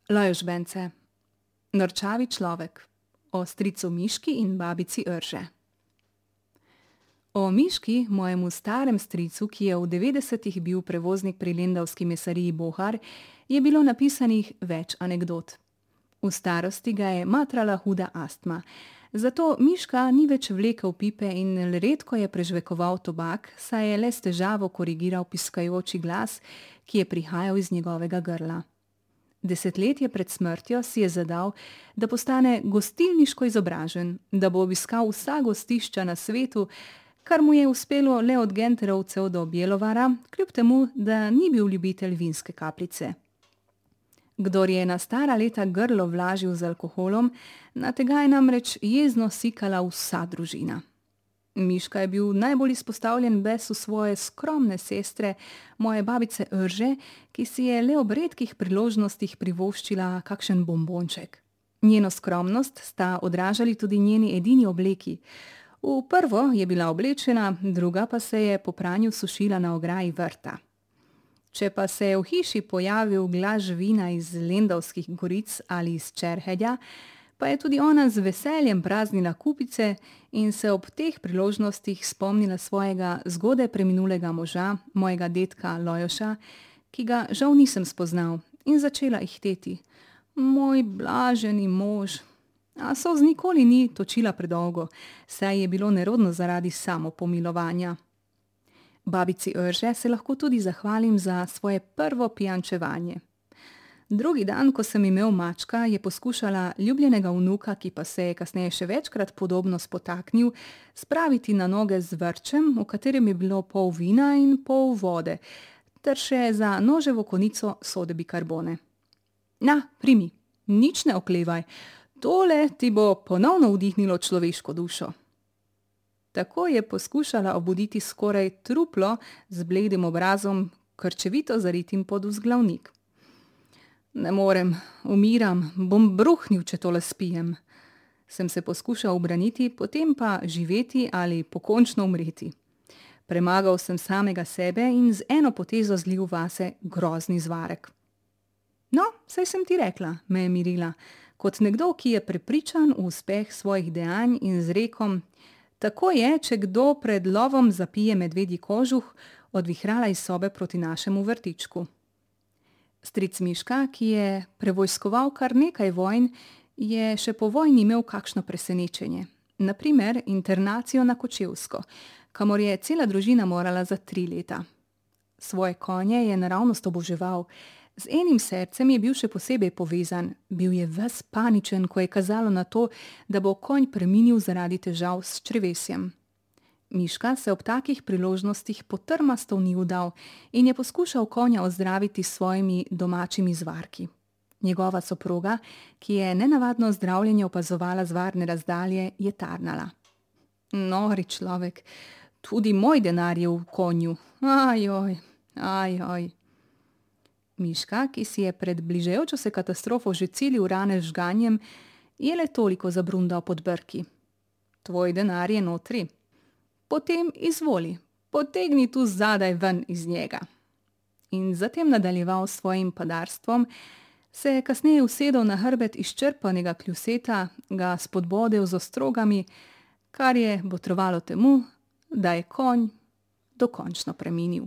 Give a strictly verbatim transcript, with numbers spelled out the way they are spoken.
Lajos Bence, Norčavi človek, o stricu Miški in babici Rže. O Miški, mojemu starem stricu, ki je v devetdesetih bil prevoznik pri lendavski mesariji Bohar, je bilo napisanih več anekdot. V starosti ga je matrala huda astma, zato Miška ni več vlekel pipe in redko je prežvekoval tobak, saj je le s težavo korigiral piskajoči glas, ki je prihajal iz njegovega grla. Desetletje pred smrtjo si je zadal, da postane gostilniško izobražen, da bo obiskal vsa gostišča na svetu, kar mu je uspelo le od Genterovcev do Bjelovara, kljub temu, da ni bil ljubitelj vinske kapljice. Kdor je na stara leta grlo vlažil z alkoholom, na tega je namreč jezno sikala vsa družina. Miška je bil najbolj izpostavljen besu svoje skromne sestre, moje babice Rže, ki si je le ob redkih priložnostih privoščila kakšen bombonček. Njeno skromnost sta odražali tudi njeni edini obleki. V prvo je bila oblečena, druga pa se je po pranju sušila na ograji vrta. Če pa se je v hiši pojavil glas živina iz Lendavskih goric ali iz Čerhedja, pa je tudi ona z veseljem praznila kupice in se ob teh priložnostih spomnila svojega zgodaj preminulega moža, mojega dedka Lajoša, ki ga žal nisem spoznal, in začela ihteti. Moj blaženi mož. A solz nikoli ni točila predolgo, saj je bilo nerodno zaradi samopomilovanja. Babici Rže se lahko tudi zahvalim za svoje prvo pijančevanje. Drugi dan, ko sem imel mačka, je poskušala ljubljenega vnuka, ki pa se je kasneje še večkrat podobno spotaknil, spraviti na noge z vrčem, v katerem je bilo pol vina in pol vode, ter še za noževo konico sode bikarbone. Na, primi, nič ne oklevaj, tole ti bo ponovno vdihnilo človeško dušo. Tako je poskušala obuditi skoraj truplo z bledim obrazom, krčevito zaritim pod vzglavnik. Ne morem, umiram, bom bruhnil, če tole spijem. Sem se poskušal ubraniti, potem pa živeti ali pokončno umreti. Premagal sem samega sebe in z eno potezo zlil vase grozni zvarek. No, saj sem ti rekla, me je mirila, kot nekdo, ki je prepričan v uspeh svojih dejanj in z rekom: tako je, če kdo pred lovom zapije medvedji kožuh, odvihrala iz sobe proti našemu vrtičku. Stric Miška, ki je prevojskoval kar nekaj vojn, je še po vojni imel kakšno presenečenje. Na primer internacijo na Kočevsko, kamor je cela družina morala za tri leta. Svoje konje je naravnost oboževal, z enim srcem je bil še posebej povezan, bil je ves paničen, ko je kazalo na to, da bo konj preminil zaradi težav s črevesjem. Miška se ob takih priložnostih potrmasto ni vdal in je poskušal konja ozdraviti s svojimi domačimi zvarki. Njegova soproga, ki je nenavadno zdravljenje opazovala z varne razdalje, je tarnala. Nori človek, tudi moj denar je v konju, ajoj, ajoj. Miška, ki si je pred bližajočo se katastrofo že cilil rane z žganjem, je le toliko zabrundal pod brki. Tvoj denar je notri. Potem izvoli, potegni tu zadaj ven iz njega. In zatem nadaljeval s svojim padarstvom, se je kasneje usedel na hrbet izčrpanega kljuseta, ga spodbodel z ostrogami, kar je botrovalo temu, da je konj dokončno preminil.